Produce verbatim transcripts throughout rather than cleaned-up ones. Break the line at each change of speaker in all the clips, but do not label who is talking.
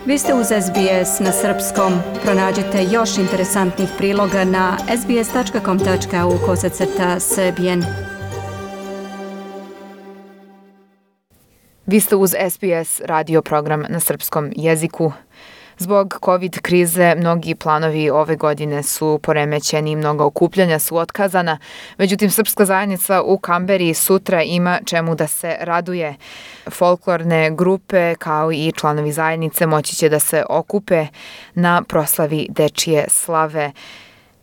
Vi ste uz S B S na srpskom. Pronađite još interesantnih priloga na sbs.com.au kosacrta srbijen.
Vi ste uz S B S radio program na srpskom jeziku. Zbog COVID krize mnogi planovi ove godine su poremećeni, mnoga okupljanja su otkazana. Međutim, srpska zajednica u Kamberi sutra ima čemu da se raduje. Folklorne grupe kao i članovi zajednice moći će da se okupe na proslavi dečije slave.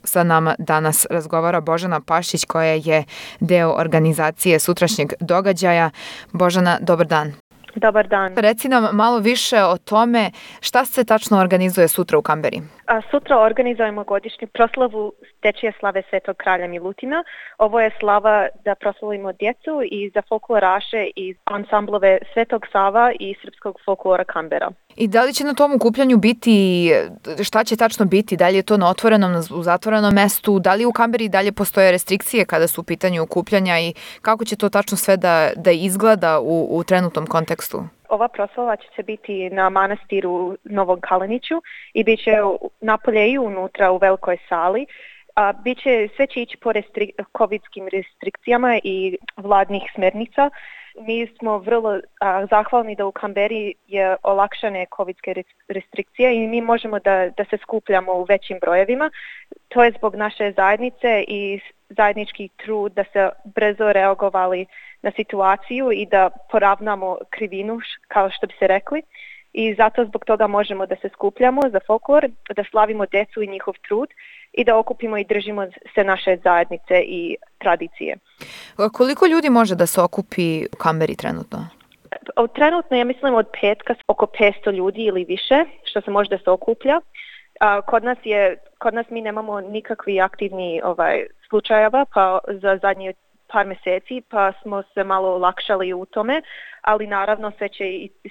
Sa nama danas razgovara Božana Pašić koja je deo organizacije sutrašnjeg događaja. Božana, dobar dan.
Dobar dan.
Reci nam malo više o tome šta se tačno organizuje sutra u Kamberi.
A sutra organizujemo godišnju proslavu dečije slave Svetog kralja Milutina. Ovo je slava da proslavimo djecu i za folkloraše i ansamblove Svetog Sava i srpskog folklora Kambera.
I da li će na tom okupljanju biti, šta će tačno biti? Da li je to na otvorenom, u zatvorenom mestu? Da li u Kamberi dalje postoje restrikcije kada su u pitanju okupljanja i kako će to tačno sve da, da izgleda u, u trenutnom kontekstu?
Ova proslava će se biti na manastiru Novog Kaleniću i bit će napolje i unutra u velikoj sali. A, biće, sve će ići po restri, covidskim restrikcijama i vladnih smernica. Mi smo vrlo a, zahvalni da u Kamberi je olakšane covidske restrikcije i mi možemo da, da se skupljamo u većim brojevima. To je zbog naše zajednice i zajednički trud da se brzo reagovali na situaciju i da poravnamo krivinu, kao što bi se rekli. I zato zbog toga možemo da se skupljamo za folklor, da slavimo djecu i njihov trud i da okupimo i držimo se naše zajednice i tradicije.
Koliko ljudi može da se okupi u Kamberi trenutno?
Trenutno ja mislim od petka oko petsto ljudi ili više što se može da se okuplja. Kod nas je, kod nas mi nemamo nikakvi aktivni ovaj, slučajeva pa za zadnje par mjeseci, pa smo se malo olakšali u tome, ali naravno sve će,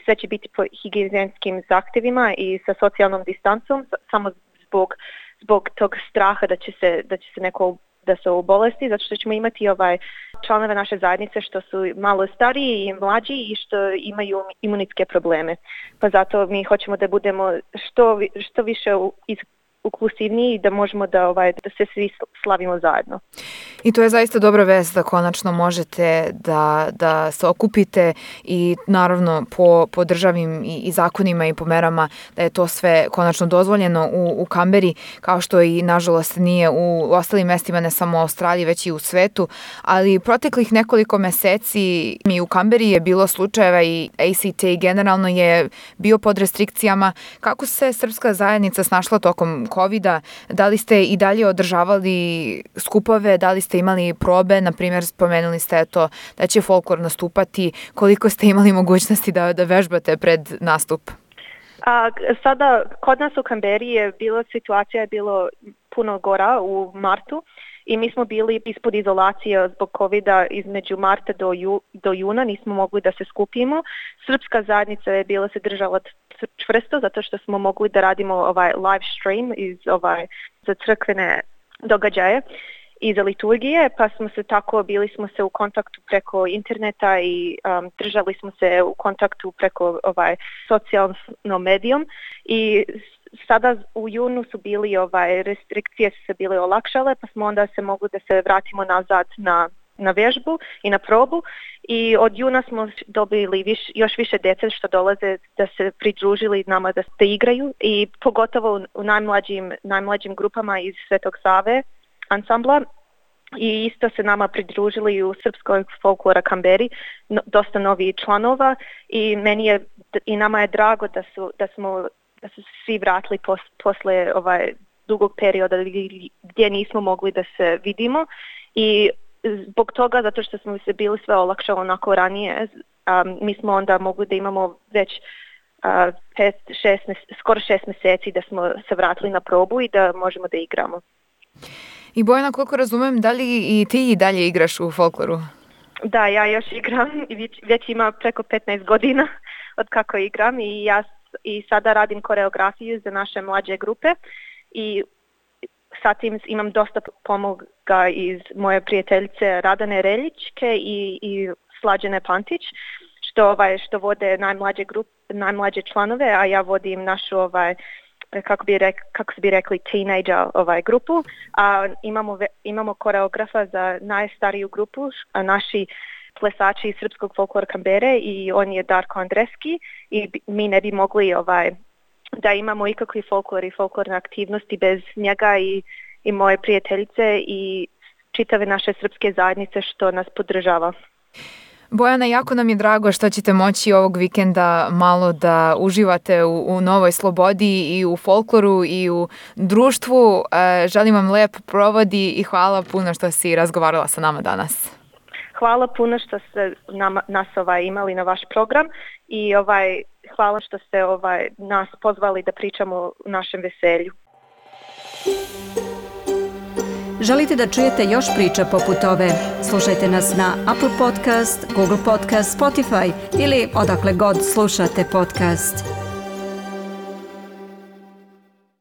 sve će biti po higijenskim zahtjevima i sa socijalnom distancom, samo zbog, zbog tog straha da će se, da će se neko da se obolesti, zato što ćemo imati ovaj članove naše zajednice što su malo stariji i mlađi i što imaju imunitske probleme. Pa zato mi hoćemo da budemo što, što više iz inkluzivniji i da možemo da, ovaj, da se svi slavimo zajedno.
I to je zaista dobra vest da konačno možete da, da se okupite i naravno po, po državnim i, i zakonima i po merama da je to sve konačno dozvoljeno u, u Kamberi, kao što i nažalost nije u ostalim mestima, ne samo u Australiji, već i u svetu. Ali proteklih nekoliko meseci mi u Kamberi je bilo slučajeva i A C T generalno je bio pod restrikcijama. Kako se srpska zajednica snašla tokom covida? Da li ste i dalje održavali skupove, da li ste imali probe, na primjer spomenuli ste to da će folklor nastupati, koliko ste imali mogućnosti da, da vežbate pred nastup?
A, sada kod nas u Kamberi je bilo, situacija je bilo puno gora u martu i mi smo bili ispod izolacije zbog covida između marta do, ju, do juna, nismo mogli da se skupimo. Srpska zajednica je bila se držala čvrsto zato što smo mogli da radimo ovaj live stream iz ovaj za crkvene događaje i za liturgije, pa smo se tako, bili smo se u kontaktu preko interneta i um, držali smo se u kontaktu preko ovaj socijalnom medijom i sada u junu su bili ovaj restrikcije su se bile olakšale, pa smo onda se mogli da se vratimo nazad na na vježbu i na probu i od juna smo dobili viš, još više djece što dolaze da se pridružili nama da se igraju i pogotovo u najmlađim, najmlađim grupama iz Svetog Save ansambla i isto se nama pridružili u srpskoj folklora Kamberi no, dosta novih članova i meni je i nama je drago da su da smo da su svi vratili pos, posle ovaj dugog perioda gdje nismo mogli da se vidimo i zbog toga, zato što smo se bili sve olakšalo onako ranije, um, mi smo onda mogli da imamo već uh, pet, šest, skoro šest mjeseci da smo se vratili na probu i da možemo da igramo.
I Bojana, koliko razumem, da li i ti i dalje igraš u folkloru?
Da, ja još igram i već, već ima preko petnaest godina od kako igram i ja i sada radim koreografiju za naše mlađe grupe i sa tim imam dosta pomoga iz moje prijateljice Radane Reljičke i, i Slađene Pantić, što ovaj što vode najmlađe grup, najmlađe članove, a ja vodim našu ovaj kako bi rek, kako bi rekli teenager ovaj grupu, a imamo imamo koreografa za najstariju grupu, a naši plesači iz srpskog folklora Kambere i on je Darko Andreski i mi ne bi mogli ovaj da imamo ikakvi folklor i folklorne aktivnosti bez njega i, i moje prijateljice i čitave naše srpske zajednice što nas podržava.
Bojana, jako nam je drago što ćete moći ovog vikenda malo da uživate u, u novoj slobodi i u folkloru i u društvu. E, želim vam lep provodi i hvala puno što si razgovarala sa nama danas.
Hvala puno što ste nama, nas ovaj, imali na vaš program i ovaj, hvala što ste ovaj, nas pozvali da pričamo o našem veselju.
Želite da čujete još priča poput ove? Slušajte nas na Apple Podcast, Google Podcast, Spotify ili odakle god slušate podcast.